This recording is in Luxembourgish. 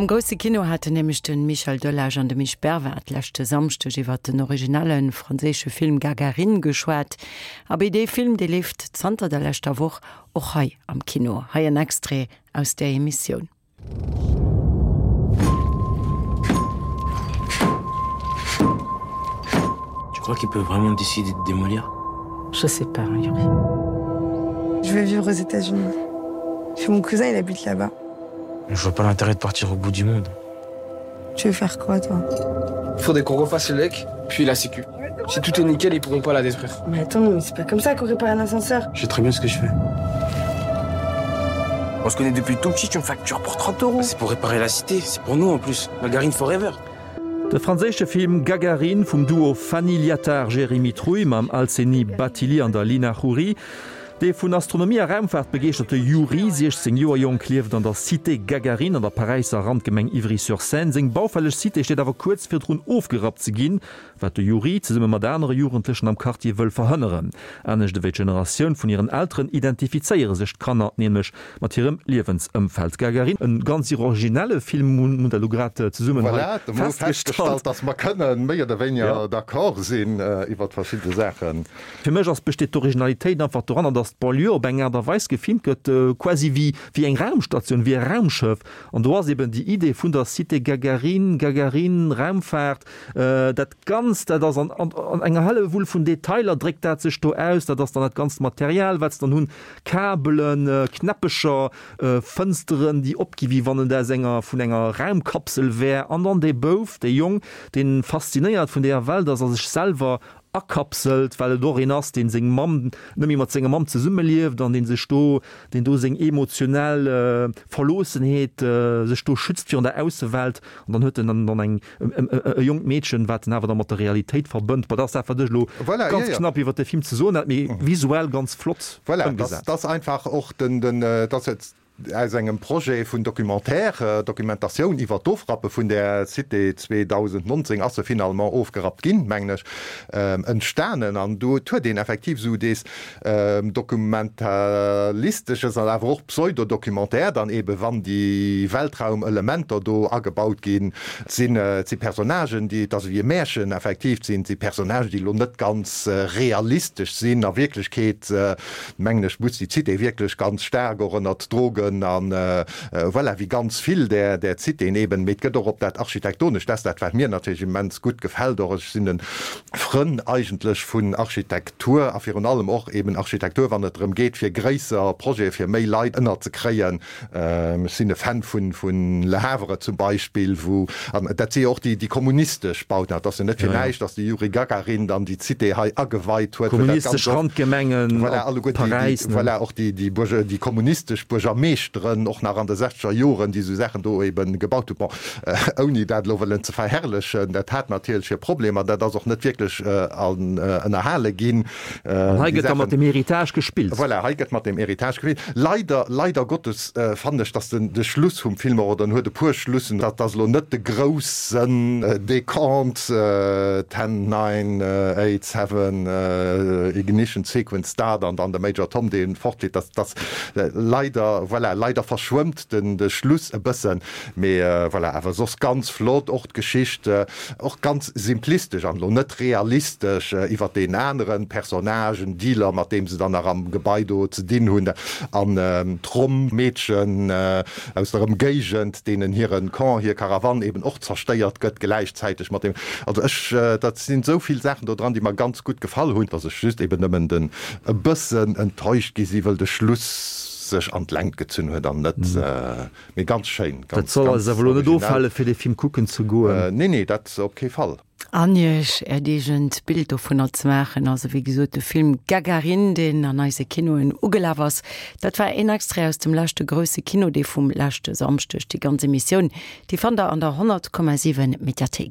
Am grousse Kino haten nämlech de Michel Delage an de Misch Bervard leschte Samschdeg iwwer den originelle franséische Film Gagarine geschwat. Abee, dee Film, dee leeft zanter der leschter Woch och hei am Kino. Hei en Extrait aus där Emissioun. Tu crois qu'il peut vraiment décider de démolir Je sais pas, Yuri. Je vais vivre aux États-Unis. Mon cousin, il habite là-bas. Je vois pas l'intérêt de partir au bout du monde. Tu veux faire quoi, toi Faudrait qu'on refasse le lec, puis la sécu. Si tout est nickel, ils pourront pas la détruire. Mais attends, mais c'est pas comme ça qu'on répare un ascenseur. Je sais très bien ce que je fais. On se connaît depuis tout petit, tu me factures pour 30 euros. C'est pour réparer la cité, c'est pour nous en plus. Margarine forever. De franséische Film Gagarine vum Duo Fanny Liatard-Jérémy Trouille mam Alseny Bathily an der Lina Khouri. Dee vun Astronomie a Raumfaart begeeschterte Yuri, 16 Joer jonk, lieft an der Cité Gagarine an der Paräisser Randgemeng Ivry-sur-Seine. Seng baufälleg Cité steet awer kuerz virdrun ofgerappt ze ginn, wat de Yuri zesumme mat anere Jugendlechen am Quartier wëll verhënneren. Anescht ewéi d'Generatioun vun hiren Elteren identifizéiere sech d'Kanner nämlech mat hirem Liewensëmfeld. Gagarine, e ganz originelle Film, hunn der elo grad zesummen hei Voilà, da hu mer festgestallt, dass mer kënnen méi oder wéiniger d'accord sinn iwwert verschidde Saachen. Fir mech ass besteet d'Originalitéit einfach doranner, datt d'Banlieue op eng Aart a Weis gefilmt gëtt, quasi wéi wéi eng Raumstatioun, wéi e Raumschëff. An do ass eben déi Idee vun der Cité Gagarine, Gagarine, Raumfaart, dat Ganzt, dat ass an an enger Hellewull vun Detailer dréckt dat sech do aus. Dat ass dann dat ganzt Material, wat se dann hunn, Kabelen, Knäppecher, Fënsteren, déi opgi wéi wann et aus enger vun enger Raumkapsel wär. An dann dee Bouf, dee Jong, dee faszinéiert vun deeër Welt ass a sech selwer akapselt, well et och een ass, dee seng Mamm net méi mat senger Mamm zesummelieft an dee sech do, deen do seng emotionell Verloossenheet sech do schützt virun der Aussewelt. An dann huet en dann dann eng e jonkt Meedchen, wat en awer da mat der Realitéit verbënnt. Bon, dat ass dat, wat ech elo Voilà, ganz jo, jo. knapp iwwer de Film ze soen hat, mee visuell ganz flott Voilà, ëmgesat. dat ass einfach och den, den, dat ass aus engem Projet vun Documentaire, Dokumentatioun iwwer d'Ofrappe vun där Cité 2019 ass se finalement ofgerappt ginn, mengen ech, entstanen. An do huet een effektiv esou dees Dokumentalistesches an awer och Pseudo-Documentaire dann eebe wann déi Weltraumelementer do agebaut ginn. Et sinn, et si Personnagen, déi, et ass ewéi e Märchen effektiv, et sinn, et si Personnagen, déi elo net ganz realistesch sinn. A Wierklechkeet mengen ech, muss déi Cité wierklech ganz staark och ënnert Drogen an voilà, wéi ganz vill där, där Citéen eben. Mee et gëtt och op dat Architektonescht, dat ass dat, wat mir natierlech immens gutt gefält och. Ech sinn e Frënn eigentlech vun Architektur a virun allem och eben Architektur, wann et drëm geet, fir gréisser Projete fir méi Leit ënnerzekréien. Ech sinn e Fan vun Le Havre zum Beispill, wou, an dat si jo och déi kommunistesch Bauten, et ass jo net fir näischt, datt de Juri Gagarin dann déi Cité hei ageweit huet, wou dat Kommunistesch ganz oft, Randgemengen voilà, op alleguer déi, déi, Paräis, ne? voilà, och déi, déi Buerger, déi kommunistesch Buergermeeschteren och nach an de sechzeger Joren, déi esou Saachen do eben gebaut hunn. Bon, ouni dat elo wëllen ze verherrlechen, dat hat natierlech hir Problemer, dat ass och net wierklech ënnerhale ginn. An hei gëtt da mat dem Héritage gespillt. Voilà, hei gëtt mat dem Héritage gespillt. Leider, leider Gottes fannen ech, dass den de Schluss vum Film och, oder en huet e puer Schlussen, dat ass elo net de groussen Décompte, ten, nine, eight, seven, ignition sequence start an dann de Major Tom, dee fortflitt, dat ass leider, voilà, leider verschwëmmt den de Schluss e bëssen. Mee voilà, awer soss ganz flott, och d'Geschicht och ganz simplistesch an elo net realistesch iwwert deen aneren Personnage, en Dealer mat deem se dann nach am Gebai do ze dinn hunn an d'Rom-Meedchen aus der Ëmgéigend, deenen hiren Camp, hir Karawann eben och zerstéiert gëtt gläichzäiteg mat deem. Also ech, dat sinn esou vill Saachen do dran, déi mer ganz gutt gefall hunn, dass ech just eben nëmmen den e bëssen enttäuscht gi si wëll de Schluss sech an d'Längt gezunn huet an net Mee ganz schéin, ganz, Dat soll eis ganz awer elo net originell. ofhale fir dee Film kucken ze goen. Nee, nee, dat op kee Fall. An iech äert eegent Bild dovunner ze maachen. Also wéi gesot, de Film Gagarin, deen an eise Kinoen ugelaf ass, dat war een Extrait aus dem leschte grousse Kino, dee vum leschte Samschdeg. Déi ganz Emissioun, déi fannt der an der 100,7 Mediathéik.